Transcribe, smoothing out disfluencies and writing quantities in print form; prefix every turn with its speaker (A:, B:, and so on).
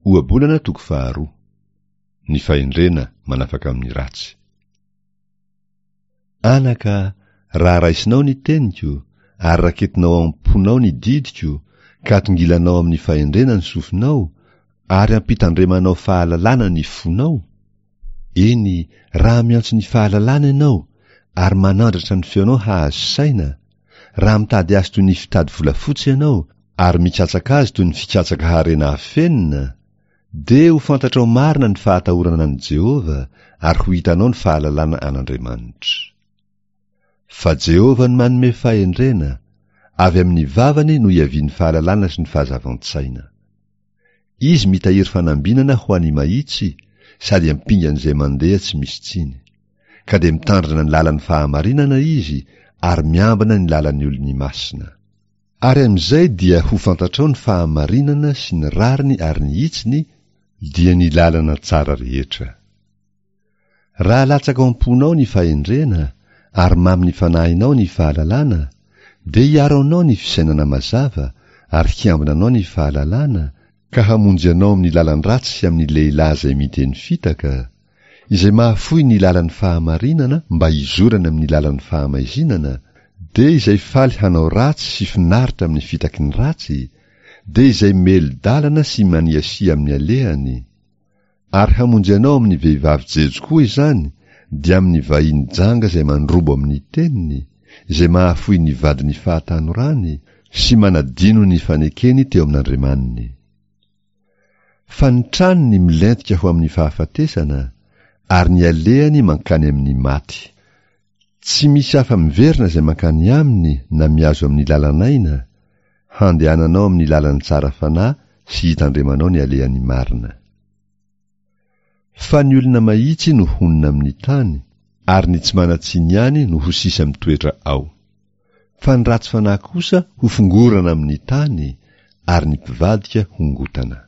A: Ohabolana toko faharoa. Ny fahendrena manafaka amin'ny ratsy. Anaka, raha raisinao ny teniko, ary raketinao ao am-ponao ny didiko, ka atongilanao amin'ny fahendrena ny sofinao, ary ampitandremanao fahalalana ny fonao, eny, raha miantso ny fahalalana ianao, ary manandratra ny feonao hahazo saina, raha mitady azy toy ny fitady volafotsy ianao, ary mikatsaka azy toy ny fikatsaka harena afenina, dia ho fantatrao marina ny fahatahorana an'i Jehovah ary ho hitanao ny fahalalana an'Andriamanitra. Fa Jehovah no manome fahendrena, avy amin'ny vavany no iavian'ny fahalalana sy ny fahazavan-tsaina. Izy mitahiry fanambinana ho an'ny mahitsy sady ampingan'izay mandeha tsy misy tsiny. Ka dia mitandrina ny lalan'ny fahamarinana izy ary miambina ny lalan'ny olony masina. Ary amin'izay dia ho fantatrao ny fahamarinana sy ny rariny ary ny hitsiny, dia ny lalana tsara rehetra. Raha latsaka ao am-ponao ny fahendrena ary mamin'ny fanahinao ny fahalalana, dia hiaro anao ny fisainana mazava ary hiambina anao ny fahalalana, ka hamonjy anao amin'ny lalan-dratsy sy amin'ny lehilahy izay miteny fitaka, izay mahafoy ny lalan'ny fahamarinana mba hizorany amin'ny lalan'ny fahamaizinana, dia izay faly hanao ratsy sy finaritra amin'ny fitaky ny ratsy, dia izay melo-dalana sy maniasia amin'ny alehany. Ary hamonjy anao amin'ny vehivavy jejo koa izany, dia amin'ny vahiny janga izay mandrobo amin'ny teniny, izay mahafoy ny vadin'ny fahatanorany, sy manadino ny fanekeny teo amin'Andriamaniny. Fa ny tranony milentika ho amin'ny fahafatesana, ary ny alehany mankany amin'ny maty. Tsy misy afa-miverina izay mankany aminy na mihazo amin'ny lalan'aina, handehananao amin'ny lalan'ny tsara fanahy sy hitandremanao ny alehan'ny marina. Fa ny olona mahitsy no honina amin'ny tany, ary ny tsy manan-tsiny ihany no ho sisa mitoetra ao. Fa ny ratsy fanahy kosa hofongorana amin'ny tany, ary ny mpivadika hongotana.